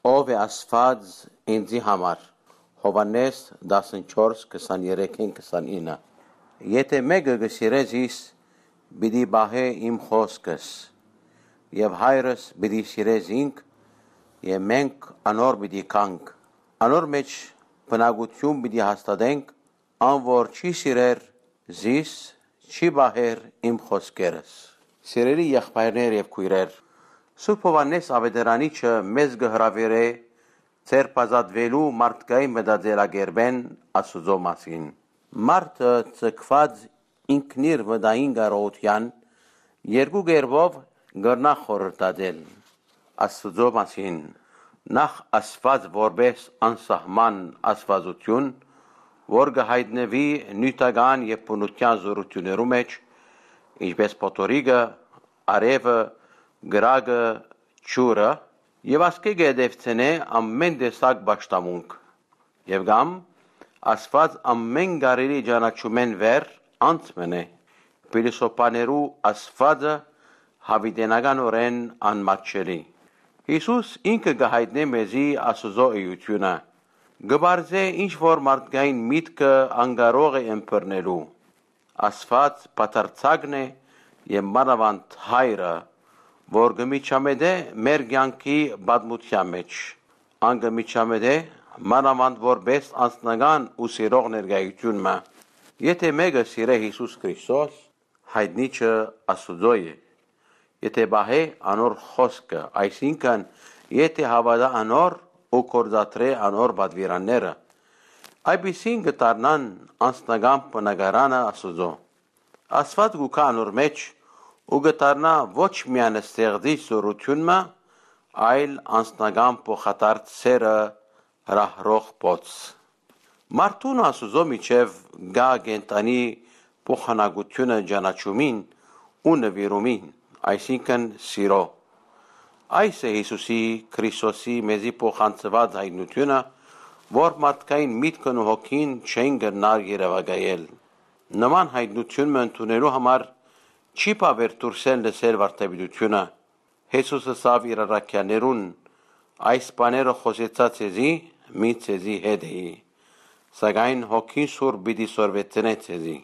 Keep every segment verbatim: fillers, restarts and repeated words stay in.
Ո՞վ է Աստուած ինծի համար։ Յովհաննէս տասնչորս, քսաներեքէն քսանինը։ Եթէ մէկը կը սիրէ զիս, պիտի պահէ իմ խօսքս, եւ Հայրս պիտի սիրէ զինք, եւ մենք անոր պիտի գանք։ Անոր մէջ բնակութիւն պիտի հաստատենք, ան որ չի սիրեր զիս, չի պահեր իմ խօսքերս։ Սիրելի եղբայրներ եւ քոյրեր, Սուրբ Յովհաննէս Աւետարանիչը մեզ կը հրաւիրէ ձերբազատուելու մարդկային մտածելակերպէն Աստուծոյ մասին։ Մարդը ձգուած ինքնիր մտային կարողութեան երկու կերպով կրնայ խորհրդածել Աստուծոյ մասին։ Նախ, Աստուած որպէս անսահման աստուածութիւն, որ կը յայտնուի նիւթական եւ բնութեան զօրութիւններու մէջ, ինչպէս փոթորիկը, արեւը, կրակը, ջուրը, եւ ասկէ կը հետեւցնէ ամէն տեսակ պաշտամունք։ Եւ կամ Աստուած ամէն կարելի ճանաչումէն վեր անց մնէ, փիլիսոփաներու Աստուածը, յաւիտենականօրէն անմատչելի։ Յիսուս ինքը կը յայտնէ մեզի Աստուծոյ էութիւնը, կը պարզէ ինչ որ մարդկային միտքը անկարող է ըմբռնելու։ Աստուած բացարձակն է եւ մանաւանդ Հայրը, որ կը միջամտէ մեր կեանքի պատմութեան մէջ։ Ան կը միջամտէ մանաւանդ որպէս անձնական ու սիրող ներկայութիւն մը։ Եթէ մէկը սիրէ Յիսուս Քրիստոս, յայտնիչը Աստուծոյ է։ Եթէ պահէ անոր խօսքը, այսինքն՝ եթէ հաւատայ անոր ու գործադրէ անոր պատուիրանները, այդպիսին կը դառնան անձնական բնակարանը Աստուծոյ։ Աստուած կու գայ անոր մէջ ու կը դառնայ ոչ միայն ստեղծիչ զօրութիւն մը, այլ անձնական փոխադարձ սէրը հրահրող բոց։ Մարդուն Աստուծոյ միջեւ կայ կենդանի փոխանակութիւնը ճանաչումին ու նուիրումին, այսինքն՝ սիրոյ։ Այս է Յիսուսի Քրիստոսի մեզի փոխանցուած յայտնութիւնը, որ մարդկային միտքն ու հոգին չեն կրնար երեւակայել։ Նման յայտնութիւն մը ընդունելու համար չի բաւեր դուրսէն լսել վարդապետութիւնը։ Յիսուս ըսաւ իր առաքեալներուն. «Այս բաները խօսեցայ ձեզի, մինչ ձեզի հետ էի, սակայն Հոգին Սուրբ պիտի սորվեցնէ ձեզի»։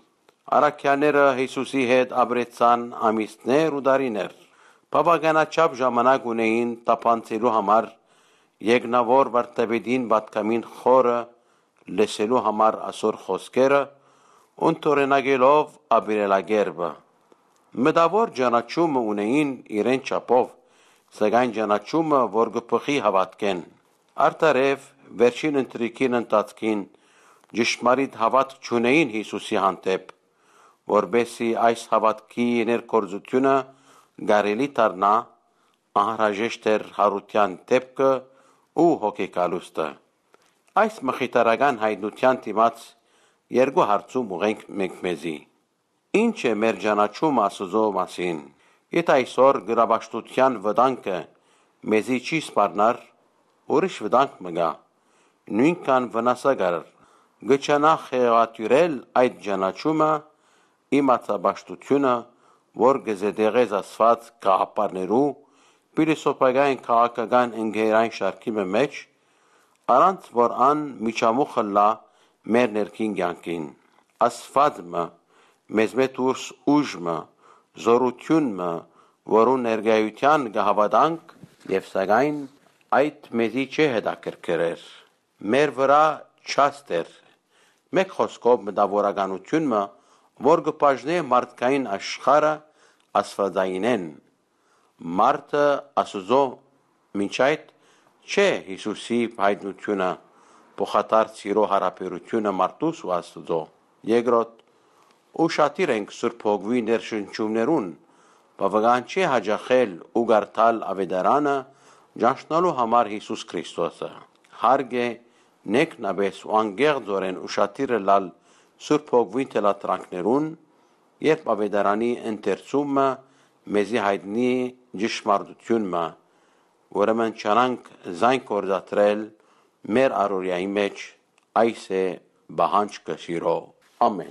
Առաքեալները Յիսուսի հետ ապրեցան ամիսներ ու տարիներ։ Բաւականաչափ ժամանակ ունէին թափանցելու համար, եկնաւոր վարդապետին պատգամին խորը լսելու համար ասոր խօսքերը, ընդօրինակելով ապրելակերպը։ Մտաւոր ճանաչումը ունէին իրեն չափով, սակայն ճանաչումը, որ կը բխի հաւատքէն։ Արդարեւ, վերջին ընթրիքին ընթացքին ճշմարիտ հաւատք չունէին Յիսուսի հանդէպ, որպէս զի այս հաւատքի ներգործութիւնը կարելի դառնայ, անհրաժեշտ էր յարութեան դէպքը ու հոգեկալուստը։ Այս մխիթարական յայտնութեան դիմաց երկու հարցում ուղղենք մենք մեզի։ Ի՞նչ է մեր ճանաչումը Աստուծոյ մասին։ Եթէ այսօր կրապաշտութեան վտանգը մեզի չի սպառնար, ուրիշ վտանգ մը կայ, նոյնքան վնասակար, կը ջանայ խեղաթիւրել այդ ճանաչումը, իմացապաշտութիւնը, որ կը զետեղէ զսպված գաղափարներու, փիլիսոփայական քաղաքական ընկերային շարքի մը մէջ, առանց որ ան միջամուխ ըլլայ մեր ներքին կեանքին։ Աստուած մը, մեզմէ դուրս ուժ մը, զօրութիւն մը, որուն ներկայութեան կը հաւատանք, եւ սակայն այդ մեզի չի հետաքրքրեր, մեր վրայ չաստ էր։ Մէկ խօսքով, մտաւորականութիւն մը, որ կը բաժնէ մարդկային աշխարհը աստուածայինէն։ Մարդը Աստուծոյ մինչ այդ չէ Յիսուսի յայտնութիւնը, փոխադարձ սիրոյ յարաբերութիւնը մարդուս ու Աստուծոյ։ Երկրորդ, ուշադիր ենք Սուրբ Հոգւոյ ներշնչումներուն, բաւական չէ յաճախել ու կարդալ Աւետարանը ճանչնալու համար Յիսուս Քրիստոսը։ Հարկ է նեքնապէս ու անկեղծօրէն ուշադիր ըլլալ Սուրբ Հոգւոյ թելադրանքներուն, երբ Աւետարանի ընթերցումը մեզի յայտնի ճշմարտութիւն մը, ուրեմն ջանանք զայն գործադրել մեր առօրեայի մէջ, այս է պահանջքը սիրոյ։ Ամէն։